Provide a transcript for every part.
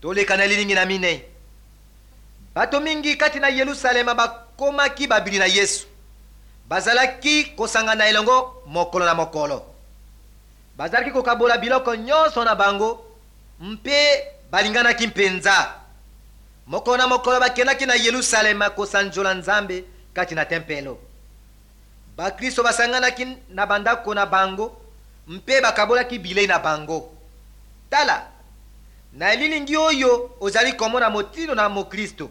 Toleka na elilingi na minei. Bato mingi kati na Yelusalema bakomaki babili na Yesu. Bazalaki kosangana elongo mokolo na mokolo. Bazalaki kokabola biloko nyonso na bango mpe balinganaki mpenza. Mokolo na mokolo bakendaki na Yelusalema kosanjola Nzambe kati na tempelo. Bakristo basanganaki na bandako na bango mpe bakabolaki bilei na bango. Tala, na elilingi oyo ozali komona motindo na mokristo.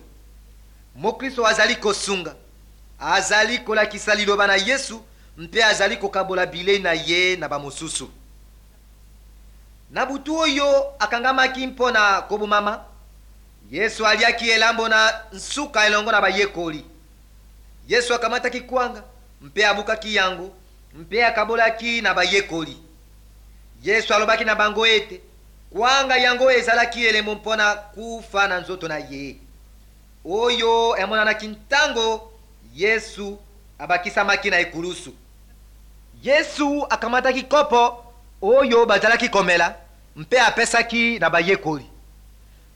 Mokristo azali kosunga, azali kolakisa liloba na Yesu mpe azali kokabola bilei na ye na bamosusu. Na butu oyo akangamaki mpo na kobomama, Yesu aliaki elambo na nsuka elongo na bayekoli. Yesu akamataki kwanga mpe abukaki yango mpe akabolaki na bayekoli. Yesu alobaki na bango ete kwanga yango ezalaki elembo mpo na kufa na nzoto na ye, oyo emonanaki ntango Yesu abakisamaki na ekulusu. Yesu akamataki kopo oyo bazalaki komela mpe apesaki na bayekoli.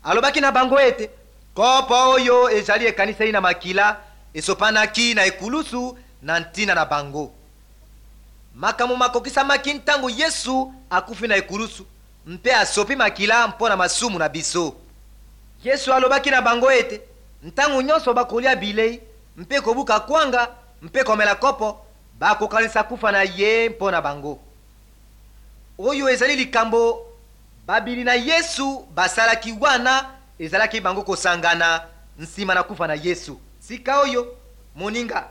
Alobaki na bango ete kopo oyo ezali ekaniseli na makila esopanaki na ekulusu na ntina na bango. Makambo makokisamaki ntango Yesu akufi na ekulusu mpe asopi makila mpo na masumu na biso. Yesu alobaki na bango ete ntango nyonso bakolia bilei mpe kobuka kwanga mpe komela kopo, bakokanisa kufa na ye mpo na bango. Oyo ezali likambo babili na Yesu basalaki wana ezalaki bango kosangana nsima na kufa na Yesu. Sika oyo, moninga,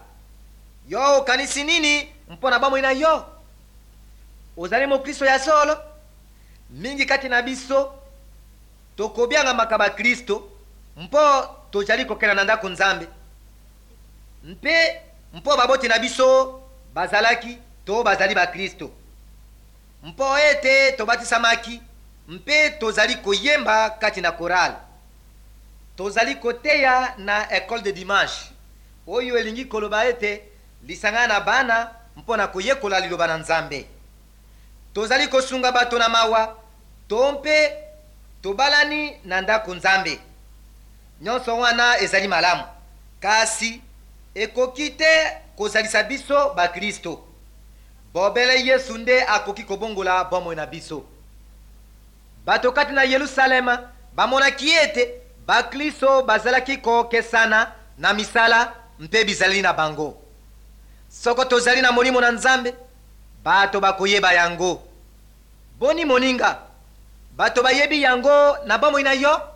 yo okanisi nini mpo na bomoi na yo? Ozali mokristo ya solo? Mingi kati na biso tokobiangamaka bakristo mpo tozali kokenda na ndako Nzambe mpe mpo baboti na biso bazalaki to bazali bakristo, mpo ete tobatisamaki mpe tozali koyemba kati na korale, tozali koteya na ecole de dimanche, oyo elingi koloba ete lisanga na bana mpo na koyekola liloba na Nzambe, tozali kosunga bato na mawa to mpe tobalani na ndako Nzambe. Nyonso wana ezali malamu, kasi ekoki te kozalisa biso bakristo. Bobele Yesu nde akoki kobongola bomoi na biso. Bato kati na Yelusalema bamonaki ete bakristo bazalaki kokesana na misala mpe bizaleli na bango. Soko tozali na molimo na Nzambe, bato bakoyeba yango. Boni moninga, bato bayebi yango na bomoi na yo?